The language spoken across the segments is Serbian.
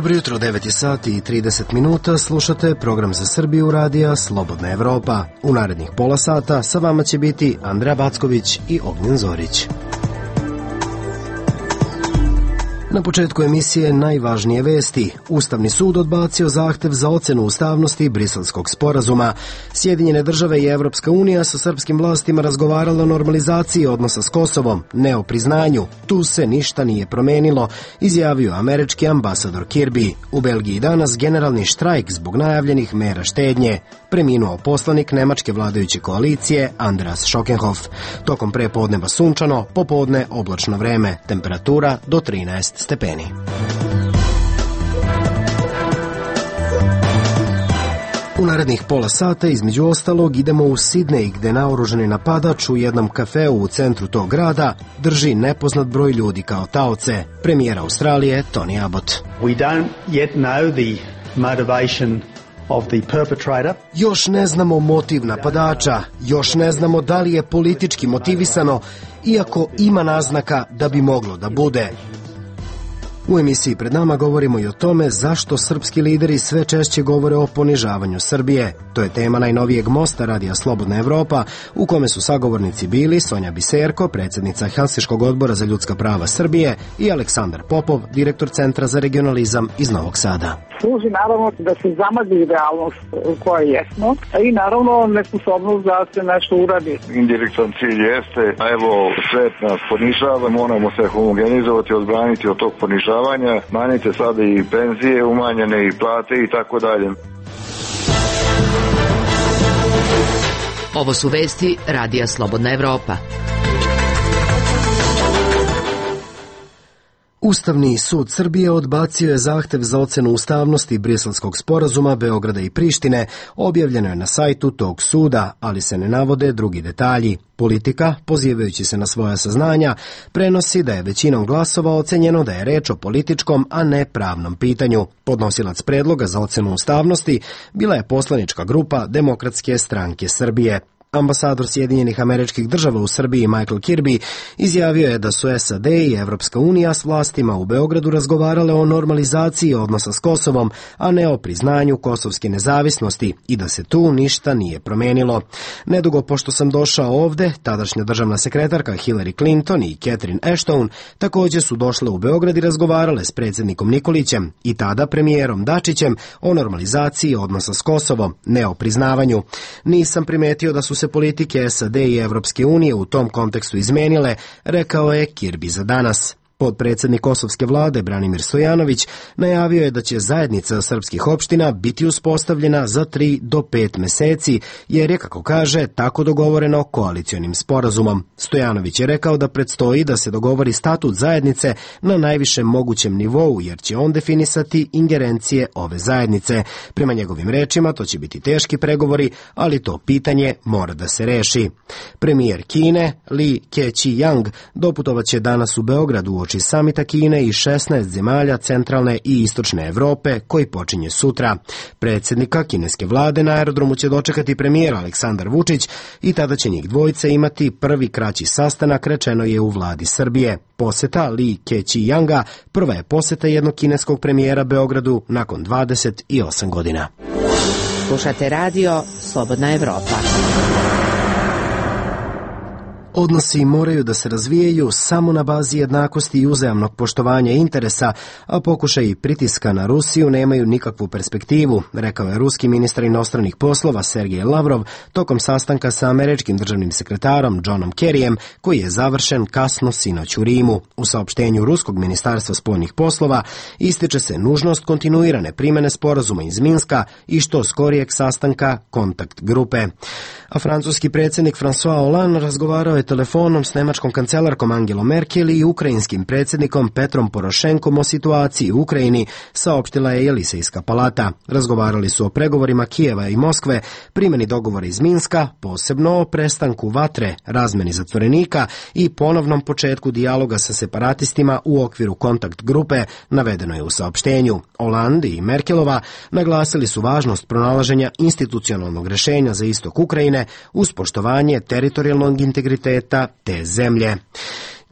Dobro jutro, 9 sati i 30 minuta, slušate program za Srbiju radija Slobodna Evropa. U narednih pola sata sa vama će biti Andreja Backović i Ognjen Zorić. Na početku emisije najvažnije vesti. Ustavni sud odbacio zahtev za ocenu ustavnosti Briselskog sporazuma. Sjedinjene države i Evropska unija sa srpskim vlastima razgovarala o normalizaciji odnosa s Kosovom, ne o priznanju. Tu se ništa nije promenilo, izjavio američki ambasador Kirby. U Belgiji danas generalni štrajk zbog najavljenih mera štednje. Preminuo poslanik nemačke vladajuće koalicije Andreas Schockenhoff. Tokom prepodneva sunčano, popodne oblačno vreme, temperatura do 13 stepeni. U narednih pola sata, između ostalog, idemo u Sidnej, gde naoružani napadač u jednom kafeu u centru tog grada drži nepoznat broj ljudi kao taoce. Premijer Australije Tony Abbott. We don't yet know the motivation of the perpetrator. Još ne znamo motiv napadača, još ne znamo da li je politički motivisano, iako ima naznaka da bi moglo da bude. U emisiji pred nama govorimo i o tome zašto srpski lideri sve češće govore o ponižavanju Srbije. To je tema najnovijeg mosta radija Slobodna Evropa, u kome su sagovornici bili Sonja Biserko, predsjednica Helsinškog odbora za ljudska prava Srbije, i Aleksandar Popov, direktor Centra za regionalizam iz Novog Sada. Služi naravno da se zamagli realnost u kojoj jesmo, i naravno nesposobnost da se nešto uradi. Indirektan cilj jeste, evo, svet nas ponižava, moramo se homogenizovati, odbraniti od tog ponižavanja, smanjite sada i penzije, umanjene i plate i tako dalje. Ovo su vesti radija Slobodna Evropa. Ustavni sud Srbije odbacio je zahtev za ocenu ustavnosti Briselskog sporazuma Beograda i Prištine, objavljeno je na sajtu tog suda, ali se ne navode drugi detalji. Politika, pozivajući se na svoja saznanja, prenosi da je većinom glasova ocenjeno da je reč o političkom, a ne pravnom pitanju. Podnosilac predloga za ocenu ustavnosti bila je poslanička grupa Demokratske stranke Srbije. Ambasador Sjedinjenih Američkih Država u Srbiji Michael Kirby izjavio je da su SAD i Evropska unija s vlastima u Beogradu razgovarale o normalizaciji odnosa s Kosovom, a ne o priznanju kosovske nezavisnosti, i da se tu ništa nije promenilo. Nedugo pošto sam došao ovde, tadašnja državna sekretarka Hillary Clinton i Catherine Ashton također su došle u Beograd i razgovarale s predsjednikom Nikolićem i tada premijerom Dačićem o normalizaciji odnosa s Kosovom, ne o priznavanju. Nisam primetio da su se politike SAD i Evropske unije u tom kontekstu izmenile, rekao je Kirby za danas. Potpredsjednik kosovske vlade Branimir Stojanović najavio je da će zajednica srpskih opština biti uspostavljena za 3 do 5 meseci, jer je, kako kaže, tako dogovoreno koalicionim sporazumom. Stojanović je rekao da predstoji da se dogovori statut zajednice na najvišem mogućem nivou, jer će on definisati ingerencije ove zajednice. Prema njegovim rečima, to će biti teški pregovori, ali to pitanje mora da se reši. Premijer Kine, Li Keqiang, doputovaće danas u Beogradu uoči samita Kine i 16 zemalja centralne i istočne Evrope, koji počinje sutra. Predsjednika kineske vlade na aerodromu će dočekati premijer Aleksandar Vučić i tada će njih dvojice imati prvi kraći sastanak, rečeno je u vladi Srbije. Poseta Li Keqianga prva je poseta jednog kineskog premijera Beogradu nakon 28 godina. Slušate radio Slobodna Evropa. Odnosi moraju da se razvijaju samo na bazi jednakosti i uzajamnog poštovanja interesa, a pokušaji pritiska na Rusiju nemaju nikakvu perspektivu, rekao je ruski ministar inostranih poslova Sergej Lavrov tokom sastanka sa američkim državnim sekretarom Johnom Kerryjem, koji je završen kasno sinoć u Rimu. U saopštenju ruskog ministarstva spoljnih poslova ističe se nužnost kontinuirane primene sporazuma iz Minska i što skorijeg sastanka kontakt grupe. A francuski predsjednik François Hollande razgovarao je telefonom s nemačkom kancelarkom Angelom Merkel i ukrajinskim predsjednikom Petrom Porošenkom o situaciji u Ukrajini, saopštila je Jelisejska palata. Razgovarali su o pregovorima Kijeva i Moskve, primjeni dogovora iz Minska, posebno o prestanku vatre, razmeni zatvorenika i ponovnom početku dijaloga sa separatistima u okviru kontakt grupe, navedeno je u saopštenju. Hollande i Merkelova naglasili su važnost pronalaženja institucionalnog rješenja za istok Ukrajine uz poštovanje teritorijalnog integriteta te zemlje.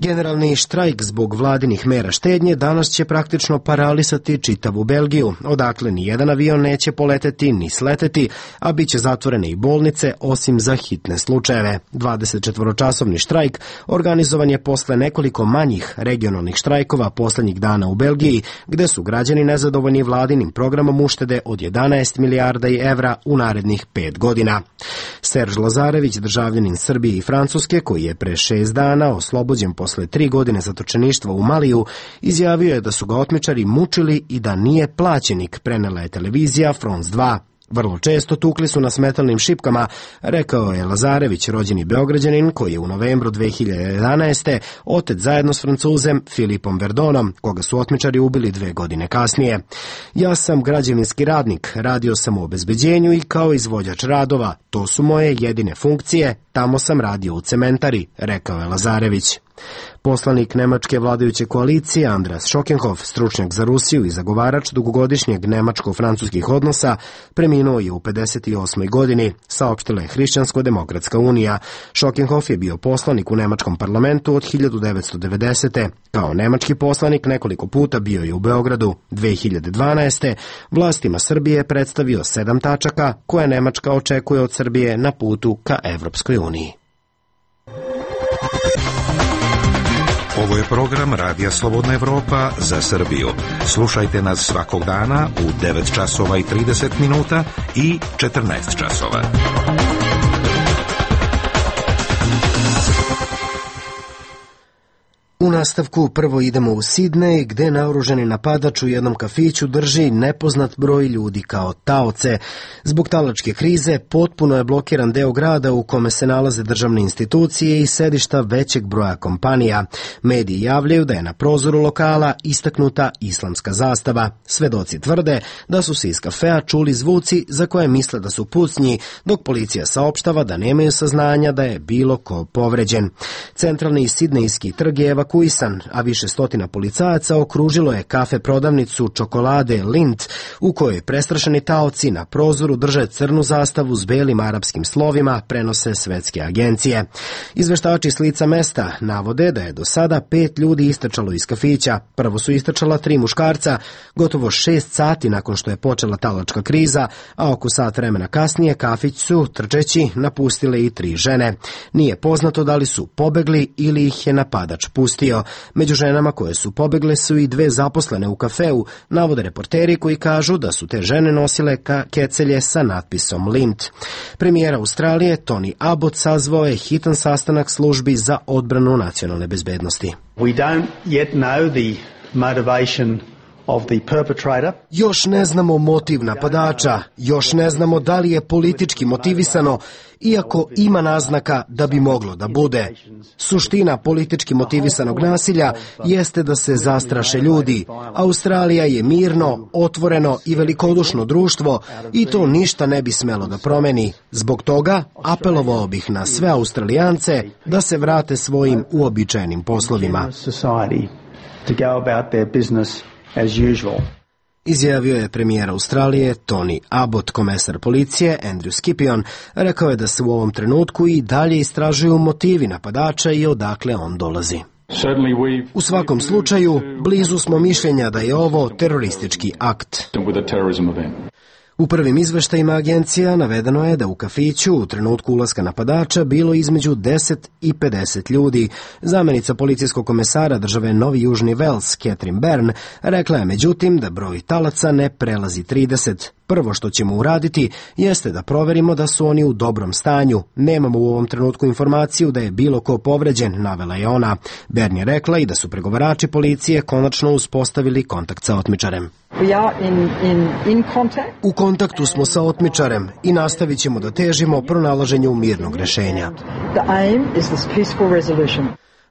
Generalni štrajk zbog vladinih mera štednje danas će praktično paralisati čitavu Belgiju, odakle ni jedan avion neće poleteti ni sleteti, a bit će zatvorene i bolnice osim za hitne slučajeve. 24-časovni štrajk organizovan je posle nekoliko manjih regionalnih štrajkova poslednjih dana u Belgiji, gde su građani nezadovoljni vladinim programom uštede od 11 milijarda evra u narednih 5 godina. Serž Lazarević, državljanin Srbije i Francuske, koji je pre 6 dana oslobođen posle 3 godine zatočeništva u Maliju, izjavio je da su ga otmičari mučili i da nije plaćenik, prenela je televizija France 2. Vrlo često tukli su na smetalnim šipkama, rekao je Lazarević, rođeni Beograđanin koji je u novembru 2011. otet zajedno s Francuzem Filipom Verdonom, koga su otmičari ubili 2 godine kasnije. Ja sam građevinski radnik, radio sam u obezbeđenju i kao izvođač radova. To su moje jedine funkcije, tamo sam radio u cementari, rekao je Lazarević. Poslanik nemačke vladajuće koalicije Andreas Schockenhoff, stručnjak za Rusiju i zagovarač dugogodišnjeg nemačko-francuskih odnosa, preminuo je u 58. godini, saopštila je Hrišćansko-demokratska unija. Schockenhoff je bio poslanik u nemačkom parlamentu od 1990. Kao nemački poslanik nekoliko puta bio je u Beogradu. 2012. vlastima Srbije predstavio 7 tačaka koje Nemačka očekuje od Srbije na putu ka Evropskoj uniji. Ovo je program Radija Slobodna Evropa za Srbiju. Slušajte nas svakog dana u 9 časova i 30 minuta i 14 časova. U nastavku prvo idemo u Sidnej, gde naoružani napadač u jednom kafiću drži nepoznat broj ljudi kao taoce. Zbog talačke krize potpuno je blokiran deo grada u kome se nalaze državne institucije i sedišta većeg broja kompanija. Mediji javljaju da je na prozoru lokala istaknuta islamska zastava. Svedoci tvrde da su se iz kafea čuli zvuci za koje misle da su pucnji, dok policija saopštava da nemaju saznanja da je bilo ko povređen. Centralni sidnejski trg je evakuisan, a više stotina policajaca okružilo je kafe prodavnicu čokolade Lindt, u kojoj prestrašeni taoci na prozoru drže crnu zastavu s belim arapskim slovima, prenose svetske agencije. Izveštači s lica mesta navode da je do sada 5 ljudi istrčalo iz kafića. Prvo su istrčala 3 muškarca, gotovo 6 sati nakon što je počela talačka kriza, a oko sat vremena kasnije kafić su, trčeći, napustile i 3 žene. Nije poznato da li su pobegli ili ih je napadač pustio. Među ženama koje su pobegle su i 2 zaposlene u kafeu, navode reporteri koji kažu da su te žene nosile kecelje sa natpisom Lindt. Premijer Australije Tony Abbott sazvao je hitan sastanak službi za odbranu nacionalne bezbednosti. We don't yet know the motivation of the perpetrator. Još ne znamo motiv napadača, još ne znamo da li je politički motivisano, iako ima naznaka da bi moglo da bude. Suština politički motivisanog nasilja jeste da se zastraše ljudi. Australija je mirno, otvoreno i velikodušno društvo i to ništa ne bi smelo da promeni. Zbog toga apelovao bih na sve Australijance da se vrate svojim uobičajenim poslovima. As usual. Izjavio je premijer Australije Tony Abbott. Komesar policije Andrew Scipion rekao je da se u ovom trenutku i dalje istražuju motivi napadača i odakle on dolazi. U svakom slučaju, blizu smo mišljenja da je ovo teroristički akt. U prvim izveštajima agencija navedeno je da u kafiću u trenutku ulaska napadača bilo između 10 i 50 ljudi. Zamenica policijskog komesara države Novi Južni Vels, Catherine Byrne, rekla je međutim da broj talaca ne prelazi 30. Prvo što ćemo uraditi jeste da proverimo da su oni u dobrom stanju. Nemamo u ovom trenutku informaciju da je bilo ko povređen, navela je ona. Byrne je rekla i da su pregovarači policije konačno uspostavili kontakt sa otmičarem. U kontaktu smo sa otmičarem i nastavit ćemo da težimo pronalaženju mirnog rešenja.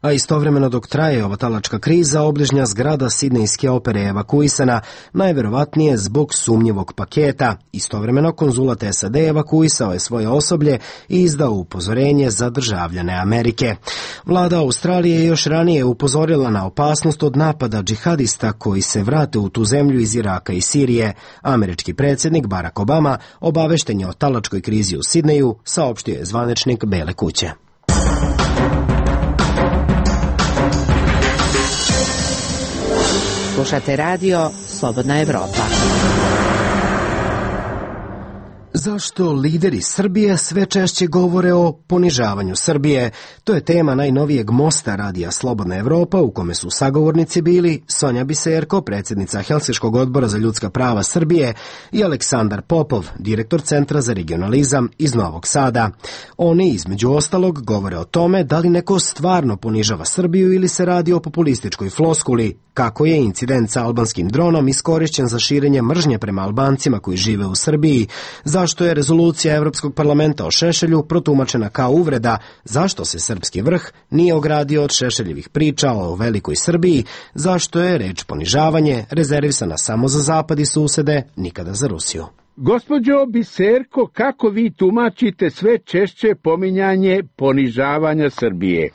A istovremeno dok traje ova talačka kriza, obližnja zgrada Sidnejske opere je evakuisana, najverovatnije zbog sumnjivog paketa. Istovremeno konzulat SAD evakuisao je svoje osoblje i izdao upozorenje za državljane Amerike. Vlada Australije je još ranije upozorila na opasnost od napada džihadista koji se vrate u tu zemlju iz Iraka i Sirije. Američki predsjednik Barack Obama obavešten je o talačkoj krizi u Sidneju, saopštio je zvaničnik Bele kuće. Slušate radio Slobodna Evropa. Zašto lideri Srbije sve češće govore o ponižavanju Srbije? To je tema najnovijeg mosta radija Slobodna Evropa u kome su sagovornici bili Sonja Biserko, predsjednica Helsinškog odbora za ljudska prava Srbije, i Aleksandar Popov, direktor Centra za regionalizam iz Novog Sada. Oni, između ostalog, govore o tome da li neko stvarno ponižava Srbiju ili se radi o populističkoj floskuli, kako je incident sa albanskim dronom iskorišćen za širenje mržnje prema Albancima koji žive u Srbiji, zašto je rezolucija Evropskog parlamenta o Šešelju protumačena kao uvreda, zašto se srpski vrh nije ogradio od Šešeljevih priča o velikoj Srbiji, zašto je reč ponižavanje rezervisana samo za zapad i susede, nikada za Rusiju. Gospođo Biserko, kako vi tumačite sve češće pominjanje ponižavanja Srbije?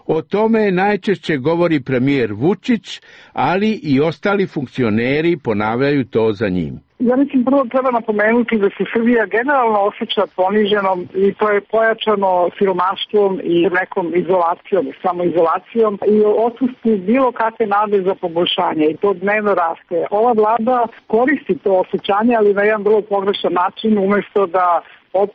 O tome najčešće govori premijer Vučić, ali i ostali funkcioneri ponavljaju to za njim. Ja mislim, prvo treba napomenuti da se Srbija generalno osjeća poniženom i to je pojačano siromaštvom i nekom izolacijom, samoizolacijom i odsustvu bilo kakve nade za poboljšanje i to dnevno raste. Ova vlada koristi to osjećanje, ali na jedan vrlo pogrešan način, umjesto da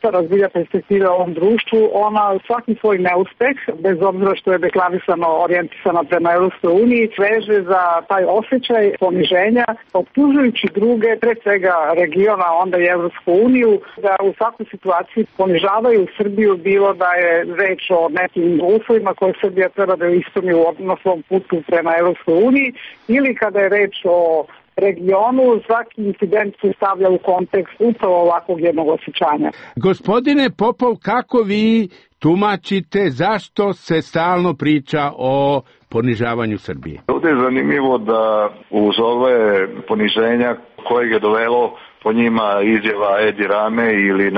razvija perspektive u ovom društvu, ona svaki svoj neuspeh, bez obzira što je deklarisano orijentisana prema Europskoj uniji, veže za taj osjećaj poniženja, optužujući druge, pre svega regiona, onda i Europsku uniju, da u svakoj situaciji ponižavaju Srbiju, bilo da je reč o nekim uslovima koje Srbija treba da ispuni na svom putu prema Europskoj uniji, ili kada je reč o regionu, svaki incident se stavlja u kontekst upravo ovakvog jednog osjećanja. Gospodine Popov, kako vi tumačite zašto se stalno priča o ponižavanju Srbije? Ovdje je zanimljivo da uz ove poniženja kojeg je dovelo po njima izjava Edi Rame ili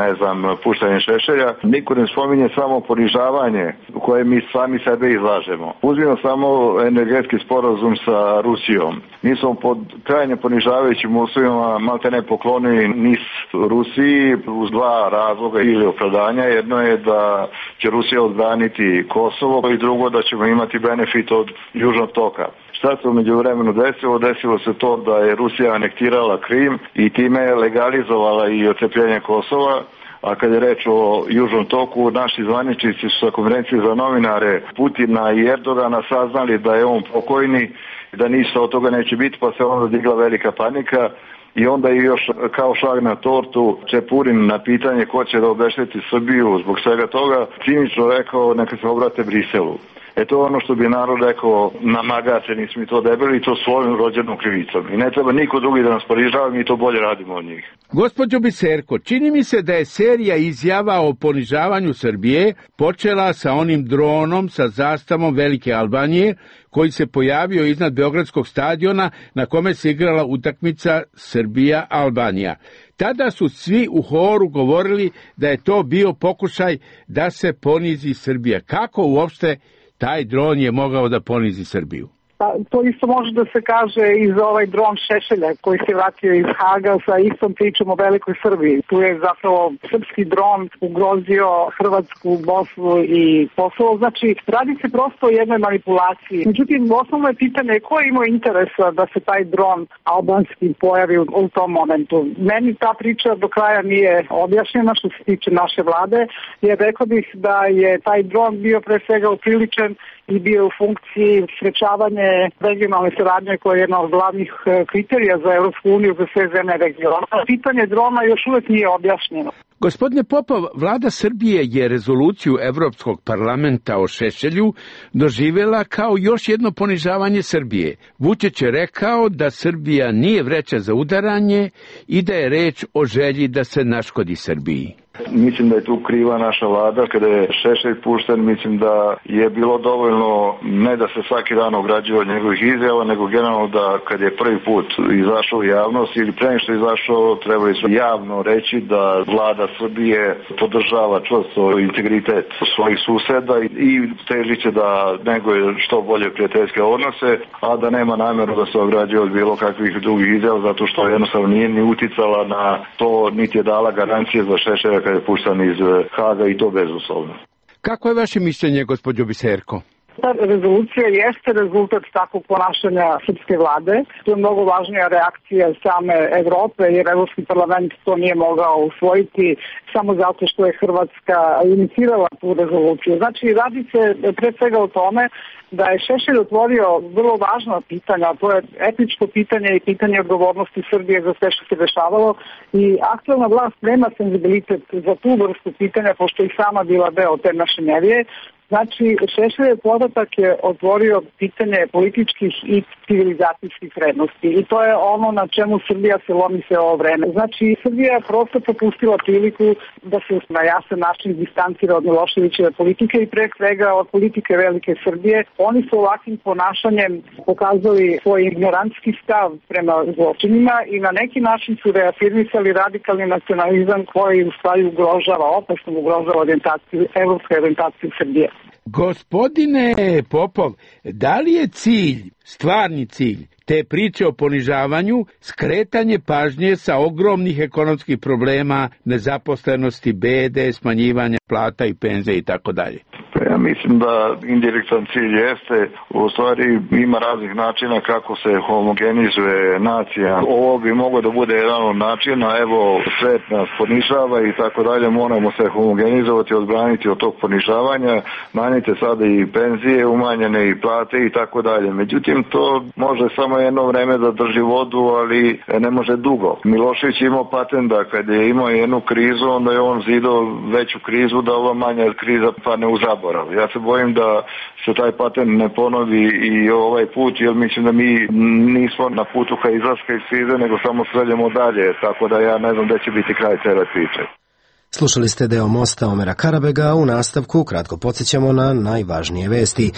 puštanje Šešelja, niko ne spominje samo ponižavanje u koje mi sami sebe izlažemo. Uzmimo samo energetski sporazum sa Rusijom. Mi smo pod krajnje ponižavajućim uslovima maltene poklonili NIS Rusiji uz dva razloga ili opravdanja. Jedno je da će Rusija odbraniti Kosovo i drugo da ćemo imati benefit od Južnog toka. Šta se u međuvremenu desilo? Desilo se to da je Rusija anektirala Krim i time legalizovala i otcepljenje Kosova. A kad je reč o Južnom toku, naši zvaničnici su sa konferencije za novinare Putina i Erdogana saznali da je on pokojni, da ništa od toga neće biti, pa se onda digla velika panika. I onda je još kao šlag na tortu Čepurin na pitanje ko će da obešteti Srbiju zbog svega toga cinično rekao neka se obrate Briselu. To je ono što bi narod rekao, namagate, nismo mi to debeli i to svojom rođenom krivicom. I ne treba niko drugi da nas ponižava, mi to bolje radimo od njih. Gospođo Biserko, čini mi se da je serija izjava o ponižavanju Srbije počela sa onim dronom sa zastavom Velike Albanije koji se pojavio iznad Beogradskog stadiona na kome se igrala utakmica Srbija-Albanija. Tada su svi u horu govorili da je to bio pokušaj da se ponizi Srbija. Kako uopšte taj dron je mogao da ponizi Srbiju? To isto može da se kaže i za ovaj dron Šešelja koji se vratio iz Haga sa istom pričom o velikoj Srbiji. Tu je zapravo srpski dron ugrozio Hrvatsku, Bosnu i Kosovo. Znači, radi se prosto o jednoj manipulaciji. Međutim, osnovno je pitanje ko je imao interesa da se taj dron albanski pojavi u tom momentu. Meni ta priča do kraja nije objašnjena što se tiče naše vlade, jer rekao bih da je taj dron bio pre svega upriličen i bio u funkciji sprečavanje regionalne saradnje koja je jedna od glavnih kriterija za Europsku uniju za sve zemlje regiona. Pitanje drona još uvijek nije objašnjeno. Gospodine Popov, vlada Srbije je rezoluciju Evropskog parlamenta o Šešelju doživjela kao još jedno ponižavanje Srbije. Vučić je rekao da Srbija nije vreća za udaranje i da je reč o želji da se naškodi Srbiji. Mislim da je tu kriva naša vlada. Kada je Šešelj pušten, mislim da je bilo dovoljno ne da se svaki dan ograđuje od njegovih izjava, nego generalno da kad je prvi put izašao u javnost ili pre što je izašao, trebali su javno reći da vlada Srbije podržava čvrsto integritet svojih suseda i teži će da neguje što bolje prijateljske odnose, a da nema namjeru da se ograđuje od bilo kakvih drugih izjava, zato što jednostavno nije ni uticala na to, niti je dala garancije za Šešelja kada je puštan iz Haga i to bezuslovno. Kako je vaše mišljenje, gospođo Biserko? Ta rezolucija jeste rezultat takvog ponašanja srpske vlade. To je mnogo važnija reakcija same Evrope, jer Evropski parlament to nije mogao usvojiti samo zato što je Hrvatska inicirala tu rezoluciju. Znači, radi se pre svega o tome da je Šešelj otvorio vrlo važna pitanja, to je etničko pitanje i pitanje odgovornosti Srbije za sve što se dešavalo i aktualna vlast nema senzibilitet za tu vrstu pitanja, pošto i sama bila deo te mašinerije. Znači, Šešeljev podatak je otvorio pitanje političkih i civilizacijskih vrednosti i to je ono na čemu Srbija se lomi sve ovo vreme. Znači, Srbija je prosto propustila priliku da se na jasan način distancira od Miloševićeve politike i pre svega od politike Velike Srbije. Oni su ovakvim ponašanjem pokazali svoj ignorantski stav prema zločinima i na neki način su reafirmisali radikalni nacionalizam koji u stvari ugrožava, opasno ugrožava evropsku orijentaciju Srbije. Gospodine Popov, da li je stvarni cilj te priče o ponižavanju skretanje pažnje sa ogromnih ekonomskih problema, nezaposlenosti, bede, smanjivanja plata i penzija i tako dalje? Ja mislim da indirektan cilj jeste, u stvari ima raznih načina kako se homogenizuje nacija. Ovo bi moglo da bude jedan od načina, evo svet nas ponižava i tako dalje, moramo se homogenizovati, odbraniti od tog ponižavanja, manjite sada i penzije, umanjene i plate i tako dalje. Međutim, to može samo jedno vreme da drži vodu, ali ne može dugo. Milošević je imao patent da kad je imao jednu krizu, onda je on zidao veću krizu da ova manja kriza padne u zaborav. Ja se bojim da se taj patent ne ponovi i ovaj put, jer mislim da mi nismo na putu ka izlaska iz krize, nego samo sreljemo dalje, tako da ja ne znam gde će biti kraj cele priče. Slušali ste deo Mosta Omera Karabega, u nastavku kratko podsjećamo na najvažnije vesti.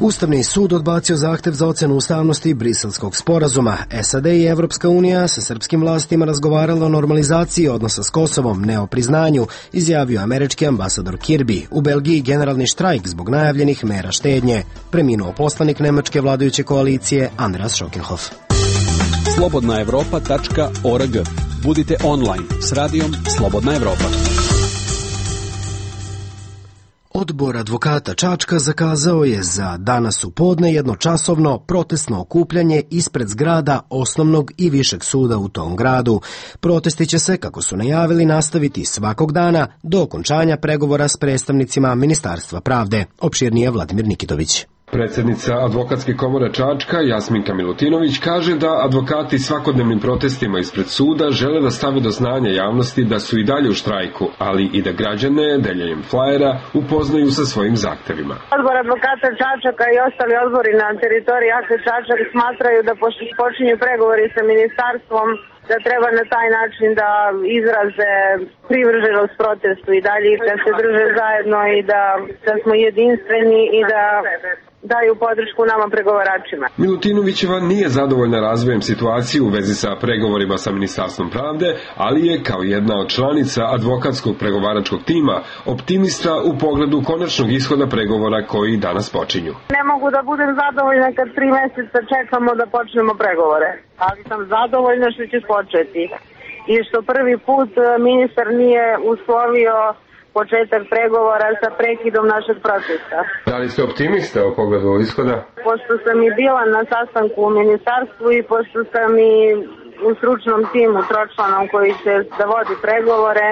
Ustavni sud odbacio zahtev za ocenu ustavnosti Briselskog sporazuma. SAD i Evropska unija sa srpskim vlastima razgovarala o normalizaciji odnosa s Kosovom, ne o priznanju, izjavio američki ambasador Kirby. U Belgiji generalni štrajk zbog najavljenih mera štednje. Preminuo poslanik nemačke vladajuće koalicije Andreas Schockenhoff. slobodnaevropa.org. Budite online s radijom Slobodna Evropa. Odbor advokata Čačka zakazao je za danas u podne jednočasovno protestno okupljanje ispred zgrada osnovnog i višeg suda u tom gradu. Protesti će se, kako su najavili, nastaviti svakog dana do okončanja pregovora s predstavnicima Ministarstva pravde. Opširnije Vladimir Nikitović. Predsjednica Advokatske komore Čačka, Jasminka Milutinović, kaže da advokati svakodnevnim protestima ispred suda žele da stave do znanja javnosti da su i dalje u štrajku, ali i da građane deljenjem flajera upoznaju sa svojim zahtevima. Odbor advokata Čačaka i ostali odbori na teritoriji AKE Čačak smatraju da počinju pregovori sa ministarstvom, da treba na taj način da izraze privrženost protestu i dalje da se drže zajedno i da smo jedinstveni i da daju podršku nama pregovaračima. Milutinovićeva nije zadovoljna razvojem situacije u vezi sa pregovorima sa Ministarstvom pravde, ali je kao jedna od članica advokatskog pregovaračkog tima optimista u pogledu konačnog ishoda pregovora koji danas počinju. Ne mogu da budem zadovoljna kad 3 meseca čekamo da počnemo pregovore, ali sam zadovoljna što će početi i što prvi put ministar nije uslovio početak pregovora sa prekidom našeg protesta. Da li ste optimista u pogledu ishoda? Pošto sam i bila na sastanku u ministarstvu i pošto sam i u stručnom timu tročlanom koji će da vodi pregovore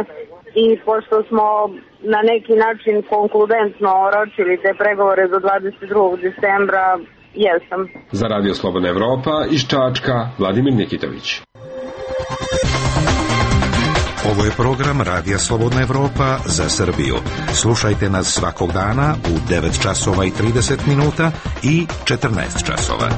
i pošto smo na neki način konkludentno oročili te pregovore do 22. decembra, jesam. Za Radio Slobodna Evropa iz Čačka, Vladimir Nikitović. Ovo je program Radija Slobodna Evropa za Srbiju. Slušajte nas svakog dana u 9 časova i 30 minuta i 14 časova.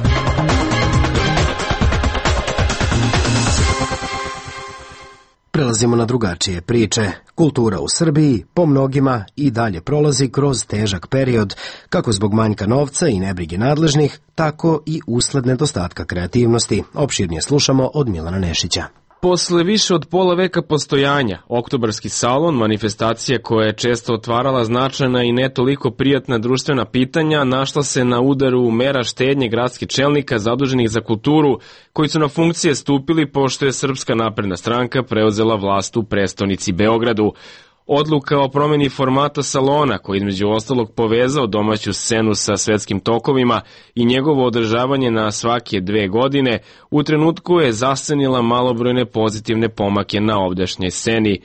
Prelazimo na drugačije priče. Kultura u Srbiji po mnogima i dalje prolazi kroz težak period, kako zbog manjka novca i nebrige nadležnih, tako i usled nedostatka kreativnosti. Opširnije slušamo od Milana Nešića. Posle više od pola veka postojanja, Oktobarski salon, manifestacija koja je često otvarala značajna i ne toliko prijatna društvena pitanja, našla se na udaru mera štednje gradskih čelnika zaduženih za kulturu, koji su na funkcije stupili pošto je Srpska napredna stranka preuzela vlast u prestonici Beogradu. Odluka o promeni formata salona, koji između ostalog povezao domaću scenu sa svetskim tokovima i njegovo održavanje na svake 2 godine, u trenutku je zascenila malobrojne pozitivne pomake na ovdašnjoj sceni.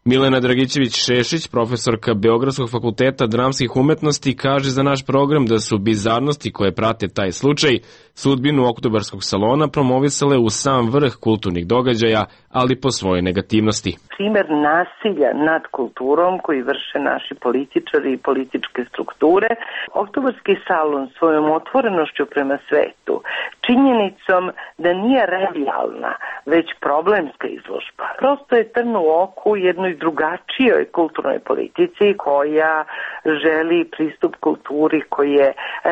Milena Dragićević-Šešić, profesorka Beogradskog fakulteta dramskih umetnosti, kaže za naš program da su bizarnosti koje prate taj slučaj sudbinu Oktobarskog salona promovisale u sam vrh kulturnih događaja, ali po svojoj negativnosti. Primer nasilja nad kulturom koji vrše naši političari i političke strukture, Oktobarski salon svojom otvorenošću prema svetu, činjenicom da nije revijalna, već problemska izložba. Prosto je trn u oku jednoj drugačijoj kulturnoj politici koja želi pristup kulturi koji je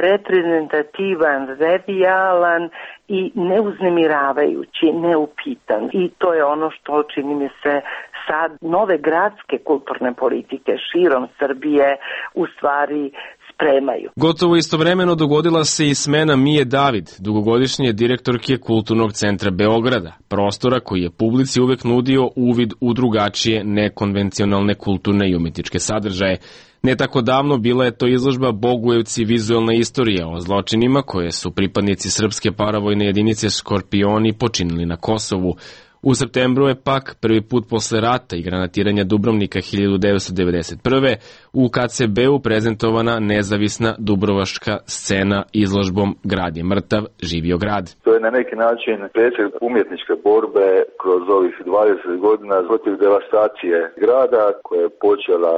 reprezentativan, revijalan i neuznemiravajući, neupitan. I to je ono što, čini mi se, sad nove gradske kulturne politike širom Srbije u stvari spremaju. Gotovo istovremeno dogodila se i smena Mije David, dugogodišnje direktorke Kulturnog centra Beograda, prostora koji je publici uvek nudio uvid u drugačije, nekonvencionalne kulturne i umetničke sadržaje. Ne tako davno bila je to izložba Bogujevci vizualna istorija o zločinima koje su pripadnici srpske paravojne jedinice Škorpioni počinili na Kosovu. U septembru je pak prvi put posle rata i granatiranja Dubrovnika 1991. u KCB-u prezentovana nezavisna dubrovačka scena izložbom Grad je mrtav, živio grad. To je na neki način presjek umjetničke borbe kroz ovih 20 godina protiv devastacije grada koja je počela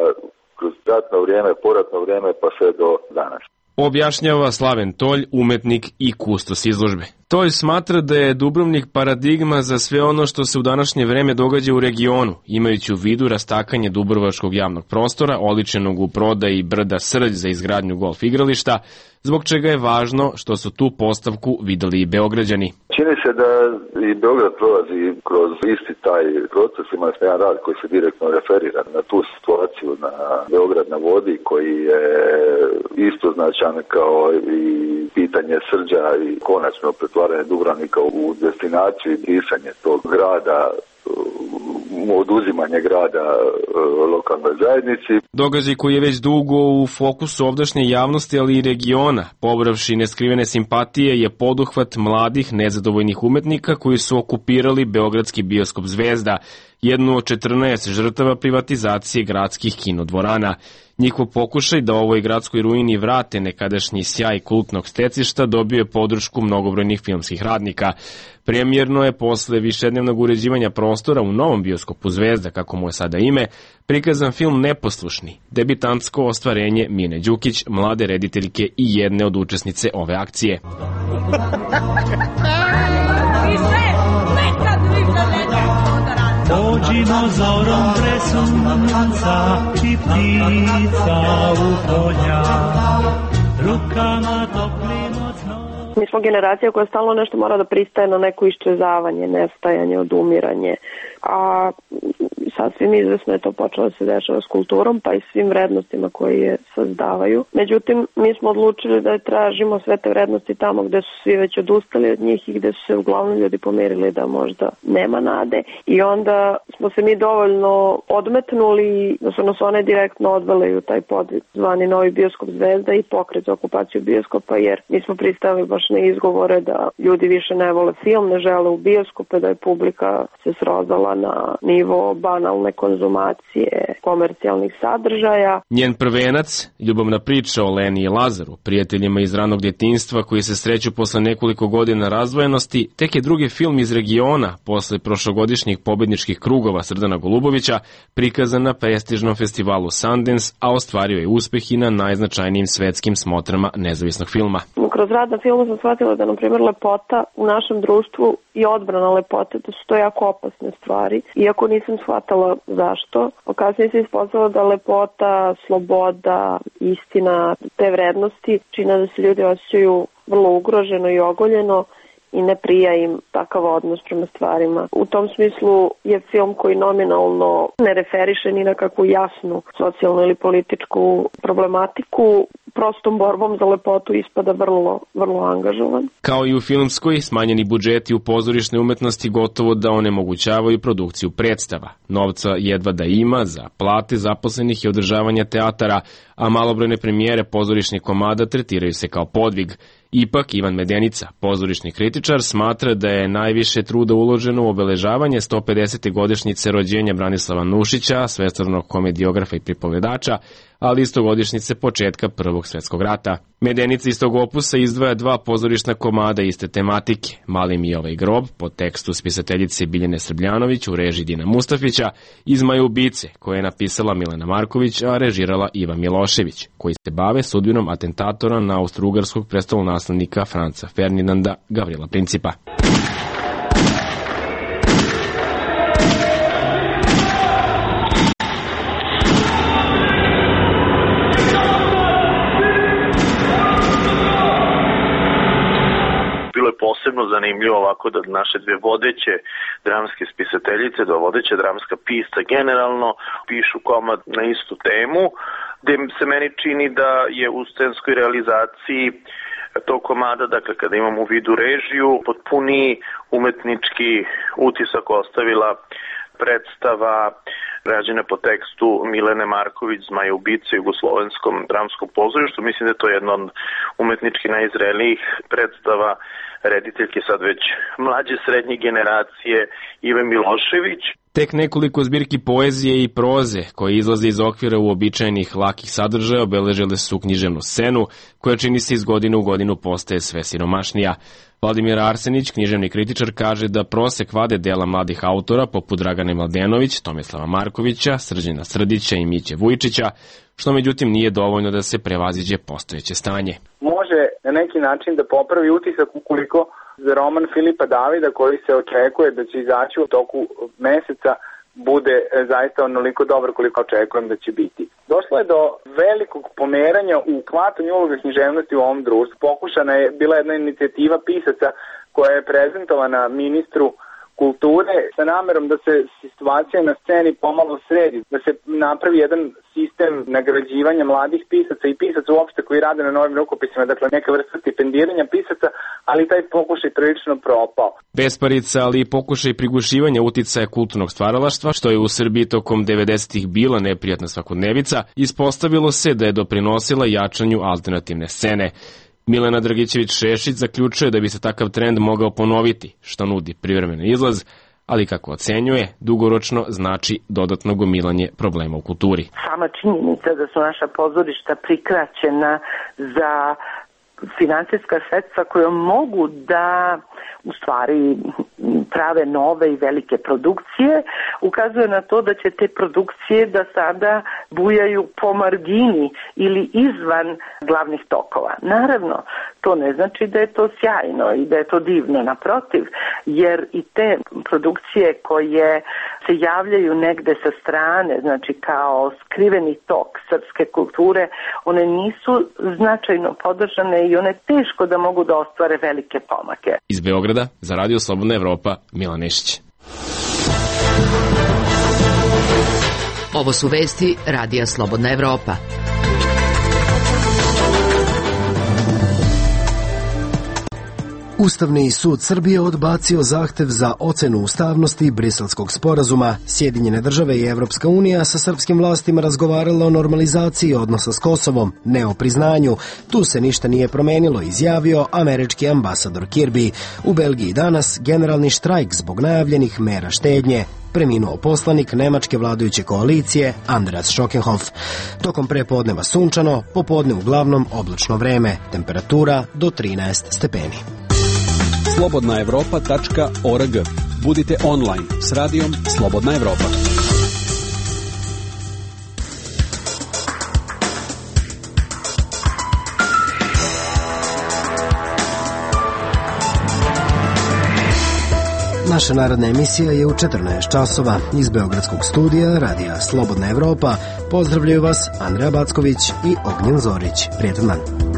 kroz ratno vrijeme, poratno vrijeme pa sve do danas. Objašnjava Slaven Tolj, umetnik i kustos izložbe. Tolj smatra da je Dubrovnik paradigma za sve ono što se u današnje vreme događa u regionu, imajući u vidu rastakanje dubrovačkog javnog prostora, oličenog u prodaji brda Srđ za izgradnju golf igrališta, zbog čega je važno što su tu postavku videli i Beograđani. Čini se da i Beograd prolazi kroz isti taj proces, ima jedan rad koji se direktno referira na tu situaciju na Beograd na vodi, koji je isto značajan kao i pitanje Srđa i konačno pretvaranje Dubrovnika u destinaciju i pisanje tog grada, oduzimanje grada lokalnoj zajednici. Događaj koji je već dugo u fokusu ovdašnje javnosti, ali i regiona, pobravši neskrivene simpatije, je poduhvat mladih nezadovoljnih umetnika koji su okupirali beogradski bioskop Zvezda, jednu od 14 žrtava privatizacije gradskih kinodvorana. Njihov pokušaj da ovoj gradskoj ruini vrate nekadašnji sjaj kultnog stecišta dobio je podršku mnogobrojnih filmskih radnika. Premijerno je posle višednevnog uređivanja prostora u novom bioskopu Zvezda, kako mu je sada ime, prikazan film Neposlušni, debitantsko ostvarenje Mine Đukić, mlade rediteljke i jedne od učesnice ove akcije. Pođimo zorom pre sunca i ptica u polja, rukama toplim od snova. Mi smo generacija koja stalno nešto mora da pristaje na neko iščezavanje, nestajanje, odumiranje, a sasvim izvesno je to počelo da se dešava s kulturom, pa i svim vrednostima koje je sazdavaju. Međutim, mi smo odlučili da tražimo sve te vrednosti tamo gde su svi već odustali od njih i gde su se uglavnom ljudi pomerili da možda nema nade. I onda smo se mi dovoljno odmetnuli da su nas one direktno odvele u taj podvig zvani Novi bioskop Zvezda i pokret za okupaciju bioskopa, jer mi smo pristali baš na izgovore da ljudi više ne vole film, ne žele u bioskope, da je publika se srozala na nivo banalne konzumacije komercijalnih sadržaja. Njen prvenac, ljubavna priča o Leni i Lazaru, prijateljima iz ranog djetinjstva koji se sreću posle nekoliko godina razdvojenosti, tek je drugi film iz regiona posle prošlogodišnjih pobedničkih krugova Srdana Golubovića prikazan na prestižnom festivalu Sundance, a ostvario je uspeh i na najznačajnijim svetskim smotrama nezavisnog filma. Kroz rad na filmu sam shvatila da, na primjer, lepota u našem društvu i odbrana lepote, da su to jako opasne stvari. Iako nisam shvatala zašto, kasnije se ispostavilo da lepota, sloboda, istina, te vrednosti čine da se ljudi osjećaju vrlo ugroženo i ogoljeno i ne prija im takav odnos prema stvarima. U tom smislu je film koji nominalno ne referiše ni na kakvu jasnu socijalnu ili političku problematiku, prostom borbom za lepotu ispada vrlo angažovan. Kao i u filmskoj, smanjeni budžeti u pozorišnoj umetnosti gotovo da onemogućavaju produkciju predstava. Novca jedva da ima za plate zaposlenih i održavanja teatara, a malobrojne premijere pozorišnih komada tretiraju se kao podvig. Ipak, Ivan Medenica, pozorišni kritičar, smatra da je najviše truda uloženo u obeležavanje 150. godišnjice rođenja Branislava Nušića, svestrvnog komediografa i pripovedača, ali istogodišnjice početka Prvog svetskog rata. Medenica iz tog opusa izdvaja 2 pozorišna komada iste tematike, Mali Mijova i grob, po tekstu spisateljice Biljane Srbljanović u režiji Dina Mustafića, i Zmaje ubice, koje je napisala Milena Marković, a režirala Ivan Milošević, koji se bave sudbinom atentatora na austrougarskog prestolonaslednika Franca Ferdinanda Gavrila Principa. Posebno zanimljivo ovako da naše dve vodeće dramske spisateljice, dva vodeća dramska pisca generalno pišu komad na istu temu, gde se meni čini da je u scenskoj realizaciji tog komada, dakle kada imamo u vidu režiju, potpuni umetnički utisak ostavila predstava rađena po tekstu Milene Marković, Zmaje ubice u jugoslovenskom dramskom pozorištu. Mislim da je to jedna od umetnički najzrelijih predstava rediteljke sad već mlađe srednje generacije Ive Milošević. Tek nekoliko zbirki poezije i proze koje izlaze iz okvira uobičajenih lakih sadržaja obeležile su književnu scenu koja čini se iz godine u godinu postaje sve siromašnija. Vladimir Arsenić, književni kritičar, kaže da prosek vade dela mladih autora poput Dragane Mladenović, Tomislava Markovića, Srđana Srdića i Miće Vujčića, što međutim nije dovoljno da se prevaziđe postojeće stanje. Može na neki način da popravi utisak ukoliko za roman Filipa Davida, koji se očekuje da će izaći u toku meseca, bude zaista onoliko dobar koliko očekujem da će biti. Došlo je do velikog pomeranja u hvatanju uloga književnosti u ovom društvu. Pokušana je bila jedna inicijativa pisaca koja je prezentovana ministru kulture sa namerom da se situacija na sceni pomalo sredi, da se napravi jedan sistem nagrađivanja mladih pisaca i pisaca uopšte koji rade na novim rukopisima, dakle neka vrsta stipendiranja pisaca, ali taj pokušaj prilično propao. Besparica, ali i pokušaj prigušivanja uticaja kulturnog stvaralaštva, što je u Srbiji tokom 90-ih bila neprijatna svakodnevica, ispostavilo se da je doprinosila jačanju alternativne scene. Milena Dragićević-Šešić zaključuje da bi se takav trend mogao ponoviti, što nudi privremeni izlaz, ali kako ocenjuje, dugoročno znači dodatno gomilanje problema u kulturi. Sama činjenica da su naša pozorišta prikraćena za finansijska sredstva koje mogu da u stvari prave nove i velike produkcije, ukazuje na to da će te produkcije da sada bujaju po margini ili izvan glavnih tokova. Naravno, to ne znači da je to sjajno i da je to divno, naprotiv, jer i te produkcije koje se javljaju negde sa strane, znači kao skriveni tok srpske kulture, one nisu značajno podržane i one teško da mogu da ostvare velike pomake. Iz Beograda za Radio Slobodna Evropa, Milan Nešić. Ovo su vesti Radija Slobodna Evropa. Ustavni sud Srbije odbacio zahtev za ocenu ustavnosti Briselskog sporazuma. Sjedinjene države i Evropska unija sa srpskim vlastima razgovarala o normalizaciji odnosa s Kosovom, ne o priznanju. Tu se ništa nije promenilo, izjavio američki ambasador Kirby. U Belgiji danas generalni štrajk zbog najavljenih mera štednje. Preminuo poslanik nemačke vladajuće koalicije Andreas Schockenhoff. Tokom prepodneva sunčano, popodne uglavnom oblačno vreme, temperatura do 13 stepeni. slobodnaevropa.org. Budite online s radijom Slobodna Evropa. Naša narodna emisija je u 14 časova. Iz Beogradskog studija Radija Slobodna Evropa pozdravljaju vas Andreja Backović i Ognjen Zorić. Prijetan dan.